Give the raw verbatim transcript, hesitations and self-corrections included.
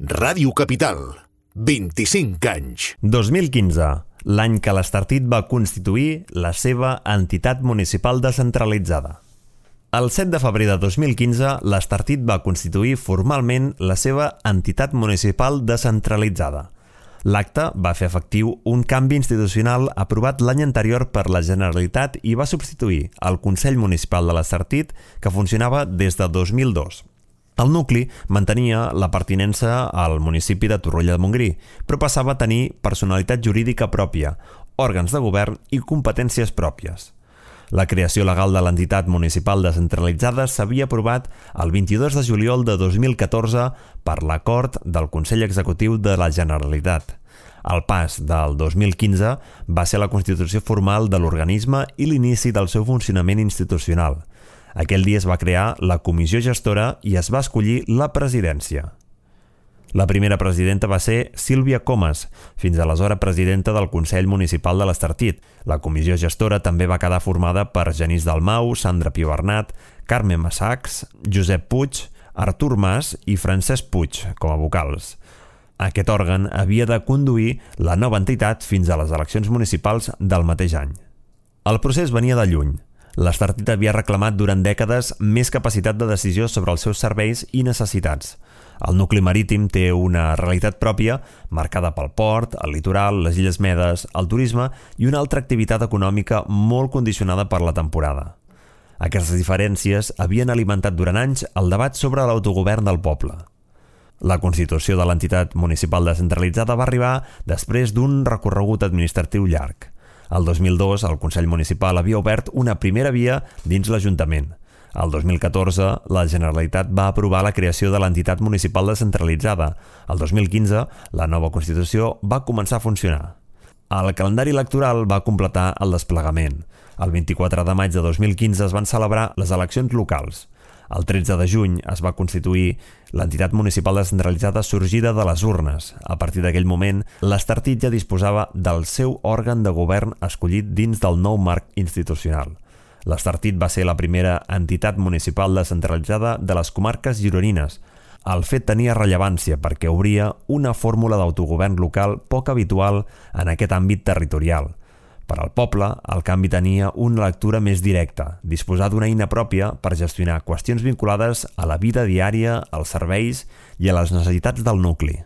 Ràdio Capital, vint-i-cinc anys. dos mil quinze, l'any que l'Estartit va constituir la seva entitat municipal descentralitzada. El set de febrer de dos mil quinze, l'Estartit va constituir formalment la seva entitat municipal descentralitzada. L'acte va fer efectiu un canvi institucional aprovat l'any anterior per la Generalitat i va substituir el Consell Municipal de l'Estartit, que funcionava des de dos mil dos. El nucli mantenia la pertinença al municipi de Torroella de Montgrí, però passava a tenir personalitat jurídica pròpia, òrgans de govern i competències pròpies. La creació legal de l'entitat municipal descentralitzada s'havia aprovat el vint-i-dos de juliol de dos mil catorze per l'acord del Consell Executiu de la Generalitat. El pas del dos mil quinze va ser la constitució formal de l'organisme i l'inici del seu funcionament institucional. Aquell dia es va crear la comissió gestora i es va escollir la presidència. La primera presidenta va ser Sílvia Comas, fins aleshores presidenta del Consell Municipal de l'Estartit. La comissió gestora també va quedar formada per Genís Dalmau, Sandra Piobernat, Carme Massacs, Josep Puig, Artur Mas i Francesc Puig com a vocals. Aquest òrgan havia de conduir la nova entitat fins a les eleccions municipals del mateix any. El procés venia de lluny. L'Estartit havia reclamat durant dècades més capacitat de decisió sobre els seus serveis i necessitats. El nucli marítim té una realitat pròpia marcada pel port, el litoral, les Illes Medes, el turisme i una altra activitat econòmica molt condicionada per la temporada. Aquestes diferències havien alimentat durant anys el debat sobre l'autogovern del poble. La constitució de l'entitat municipal descentralitzada va arribar després d'un recorregut administratiu llarg. El dos mil dos, el Consell Municipal havia obert una primera via dins l'Ajuntament. El dos mil catorze, la Generalitat va aprovar la creació de l'entitat municipal descentralitzada. El dos mil quinze, la nova Constitució va començar a funcionar. El calendari electoral va completar el desplegament. El vint-i-quatre de maig de dos mil quinze es van celebrar les eleccions locals. El tretze de juny es va constituir l'entitat municipal descentralitzada sorgida de les urnes. A partir d'aquell moment, l'Estartit ja disposava del seu òrgan de govern escollit dins del nou marc institucional. L'Estartit va ser la primera entitat municipal descentralitzada de les comarques gironines. El fet tenia rellevància perquè obria una fórmula d'autogovern local poc habitual en aquest àmbit territorial. Per al poble, el canvi tenia una lectura més directa, disposar d'una eina pròpia per gestionar qüestions vinculades a la vida diària, als serveis i a les necessitats del nucli.